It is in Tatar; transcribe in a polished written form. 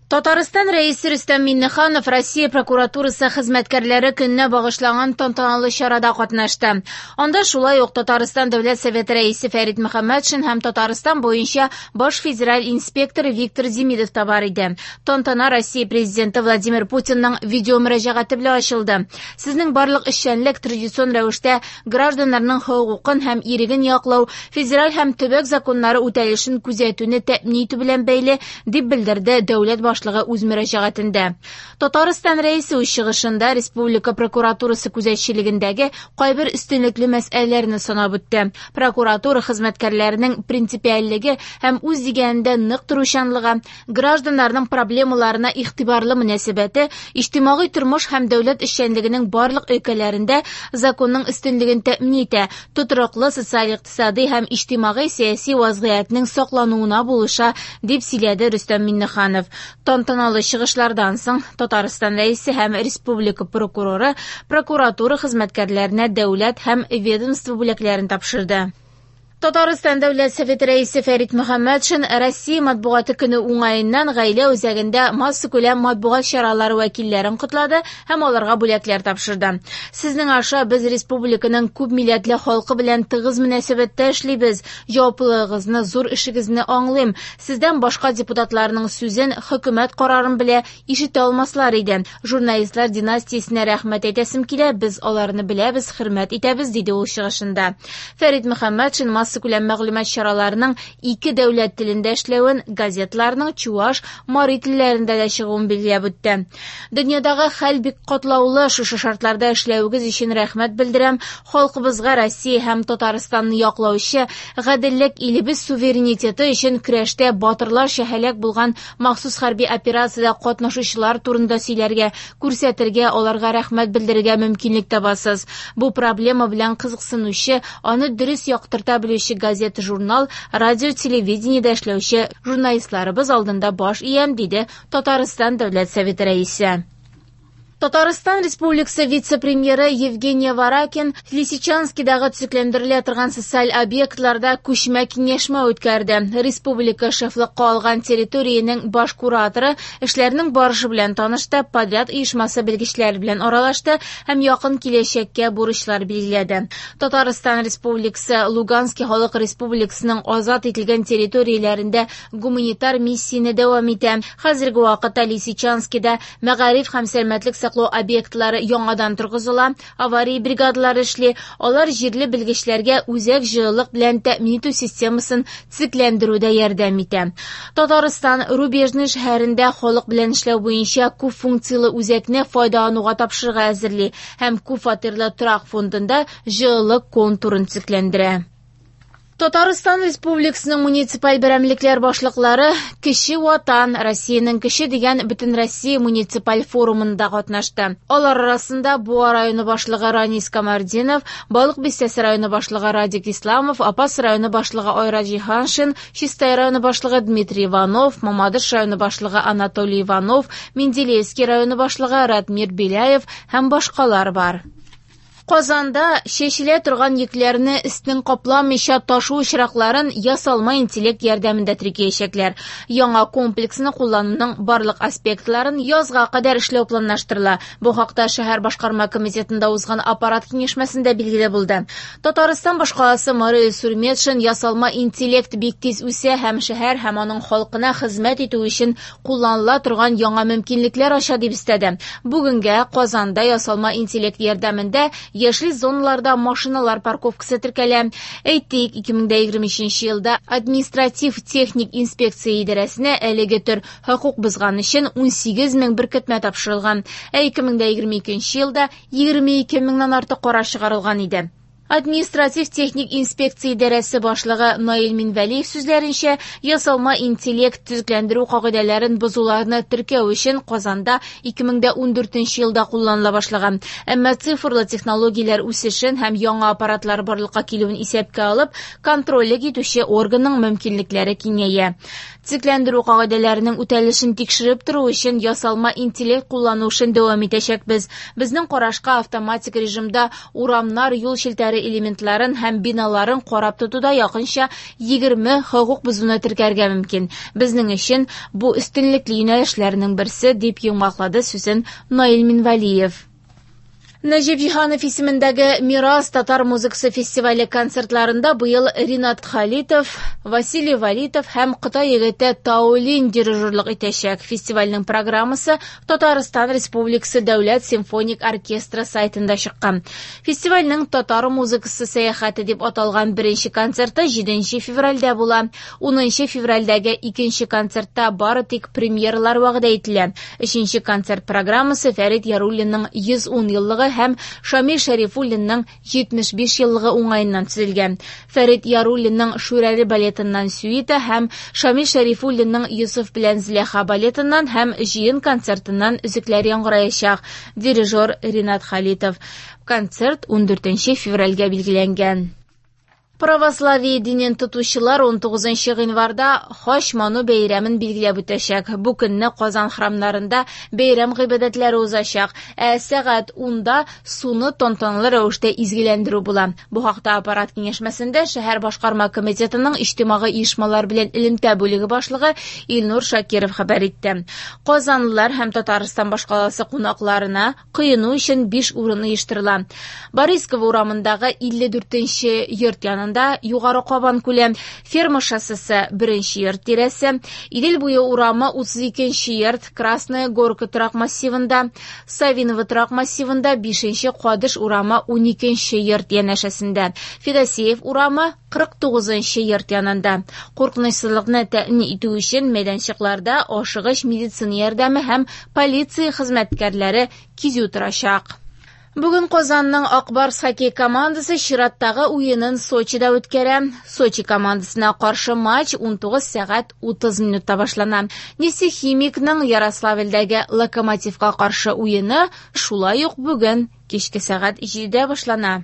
Татарстан Рәисе Рөстәм Миңнеханов Россия прокуратурасы хезмәткәрләре көненә багышланган тантаналы чарада катнашты. Анда шулай ук Татарстан Дәүләт Советы Рәисе Фәрит Мөхәммәтшин һәм Татарстан буенча баш федераль инспектор Виктор Демидов та бар иде. Тантана Россия Президенты Владимир Путинның видеомөрәҗәгате белән ачылды. Сезнең барлык эшчәнлек традицион рәвештә гражданнарның хокукын һәм иреген яклау, федераль һәм төбәк законнары үтәлешен күзәтүне тәэмин итү белән бәйле, дип белдерде дәүләт башлыгы үз мөрәҗәгатендә. Татарстан Рәисе үз чыгышында республика прокуратурасы күзәтчелегендәге кайбер өстенлекле мәсьәләләрне санап үтте. Прокуратура хезмәткәрләренең принципиальлеге һәм үз дигәнендә нык торучанлыгы, гражданнарның проблемаларына игътибарлы мөнәсәбәте иҗтимагый тормыш һәм дәүләт эшчәнлегенең барлык өлкәләрендә законның өстенлеген тәэмин итә, тотрыклы социаль-икътисади һәм иҗтимагый-сәяси вазгыятьнең саклануына булыша, дип сөйләде Рөстәм Миңнеханов. Тантаналы чыгышлардан соң Татарстан Рәисе һәм республика прокуроры прокуратура хезмәткәрләренә дәүләт һәм ведомство бүләкләрен тапшырды. Татарстан Дәүләт Советы Рәисе Фәрит Мөхәммәтшин Россия матбугаты көне уңаеннан гаилә үзәгендә массакүләм матбугат чаралары вәкилләрен котлады һәм аларга бүләкләр тапшырды. Сезнең аша без республиканың күп милләтле халкы белән тыгыз мөнәсәбәттә эшлибез. Җаваплылыгыгызны, зур эшегезне аңлыйм. Сездән башка депутатларның сүзен, хөкүмәт карарын белә, ишетә алмаслар иде. Журналистлар династиясенә рәхмәт әйтәсем килә, без аларны беләбез, хөрмәт итәбез, диде ул чыгышында. Фәрит Мөхәммәтшин массакүләм мәгълүмат чараларының ике дәүләт телендә эшләвен, газетларның чуаш, мари телләрендә дә чыгуын билгеләп үтте. Дөньядагы хәл бик катлаулы, шушы шартларда эшләвегез өчен рәхмәт белдерәм. Халкыбызга Россия һәм Татарстанны яклаучы, гаделлек, илебез суверенитеты өчен көрәштә батырларча һәлак булган махсус хәрби операциядә катнашучылар турында сөйләргә, күрсәтергә, аларга рәхмәт белдерергә мөмкинлек табасыз. Бу проблема белән кызыксынучы, аны дөрес яктырта белүче газета-журнал, радио, телевидениедә эшләүче журналистларыбыз алдында баш иям, диде Татарстан Дәүләт Советы Рәисе. Татарстан Республикасы вице-премьеры Евгений Варакин Лисичанскидагы төзекләндерелә торган социаль объектларда күчмә киңәшмә үткәрде. Республика шефлыкка алган территориянең баш кураторы эшләрнең барышы белән танышты, подряд оешмасы белгечләре белән аралашты һәм якын киләчәккә бурычлар билгеләде. Татарстан Республикасы Луганский халык республикасының азат ителгән территорияләрендә гуманитар миссияне дәвам итә. Хәзерге вакытта Лисичанскида мәгариф һәм сәламәтлек саклау объектлары яңадан торгызыла, авария бригадалары эшли, алар җирле белгечләргә үзәк җылылык белән тәэмин итү системасын төзекләндерүдә ярдәм итә. Татарстан Рубежный шәһәрендә халык белән эшләү буенча күп функцияле үзәкне файдалануга тапшырырга әзерли һәм күп фатирлы торак фондында җылылык контурын төзекләндерә. Татарстан Республикасының муниципаль берәмлекләр башлыклары Кече Ватан, Россиянең кече дигән Бөтенроссия муниципаль форумында катнашты. Алар арасында Буа районы башлыгы Ранис Камартдинов, Балык Бистәсе районы башлыгы Радик Исламов, Апас районы башлыгы Айрат Җиһаншин, Чистай районы башлыгы Дмитрий Иванов, Мамадыш районы башлыгы Анатолий Иванов, Менделеевский районы башлыгы Ратмир Беляев һәм башкалар бар. Казанда чәчелә торган йөкләрне өстен капламыйча ташу очракларын ясалма интеллект ярдәмендә теркәячәкләр. Яңа комплексны куллануның барлык аспектларын язга кадәр эшләү планлаштырыла. Бу хакта шәһәр башкарма комитетында узган аппарат киңәшмәсендә билгеле булды. Татарстан башкаласы мэры Илсур Метшин ясалма интеллект бик тиз үсә һәм шәһәр һәм аның халкына хезмәт итү өчен кулланыла торган яңа мөмкинлекләр ача дип өстәде. Бүгенгә Казанда ясалма интеллект ярдәмендә яшел зоналарда машиналар парковкасы теркәлә. Әйтик, 2023 елда административ техник инспекция идарәсенә әлеге төр хокук бозган өчен 18 мең беркетмә тапшырылган, ә 2022 елда 22 меңнән артык карар чыгарылган иде. Административ техник инспекция идарәсе башлыгы Наил Минвәлиев сүзләренчә, ясалма интеллект төзекләндерү кагыйдәләрен бозуларны теркәү өчен Казанда 2014 елда кулланыла башлаган. Әмма цифрлы технологияләр үсешен һәм яңа аппаратлар барлыкка килүен исәпкә алып, контрольлек итүче органның мөмкинлекләре киңәя. Төзекләндерү кагыйдәләренең үтәлешен тикшереп тору өчен ясалма интеллект куллану эшен дәвам итәчәкбез. Безнең карашка, автоматик режимда урамнар, юл челтәре элементларын һәм биналарын карап тотуда якынча 20 хокук бозуны теркәргә мөмкин. Безнең өчен бу өстенлекле юнәлешләрнең берсе, дип йомгаклады сүзен Наил Минвәлиев. Нәҗип Җиһанов исемендәге Мирас татар музыкасы фестивале концертларында быел Ринат Халитов, Василий Валитов һәм Кытай егете Таолин дирижерлык итәчәк. Фестивальнең программасы Татарстан Республикасы Дәүләт симфоник оркестры сайтында чыккан. Фестивальнең Татар музыкасы сәяхәте дип аталган беренче концерты 7 февральдә була. 10 февральдәге икенче концертта бары тик премьералар вәгъдә ителә. Өченче концерт программасы Фәрит Яруллинның 110 еллыгы һәм Шамил Шәрифуллинның 75 еллыгы уңаеннан төзелгән. Фәрит Яруллинның Шүрәле балетыннан сюита һәм Шамил Шәрифуллинның Йосыф белән Зөләйха балетыннан һәм җыен концертыннан өзекләр яңгыраячак. Дирижер Ринат Халитов. Концерт 14 февральгә билгеләнгән. Православие динен тотучылар 19 гыйнварда Хач ману бәйрәмен билгеләп үтәчәк. Бу көнне Казан храмнарында бәйрәм гыйбадәтләре узачак. Ә сәгать 10-да суны тантаналы рәвештә изгеләндерү була. Бу хакта аппарат киңәшмәсендә шәһәр башкарма комитетының иҗтимагый оешмалар белән элемтә бүлеге башлыгы Илнур Шакиров хәбәр итте. Казанлылар һәм Татарстан башкаласы кунакларына коену өчен 5 урын оештырыла. Борисково урамындагы 54 йорт янында Югары Кабан күле, Ферма шоссесы 1 йорт тирәсе, Идел буе урамы 32 йорт, Красная Горка торак массивында, Савиново торак массивында 5 Кадыш урамы 12 йорт янәшәсендә, Федосеев урамы 49 йорт янында. Куркынычсызлыкны тәэмин итү өчен мәйданчыкларда ашыгыч медицина ярдәме һәм полиция хезмәткәрләре кизү торачак. Бүген Казанның Ак Барс хоккей командасы чираттагы уенын Сочида үткәрә. Сочи командасына каршы матч 19 сәгать 30 минутта башлана. Нефтехимикның Ярославльдәге Локомотивка каршы уены шулай ук бүген кичке сәгать 7-дә башлана.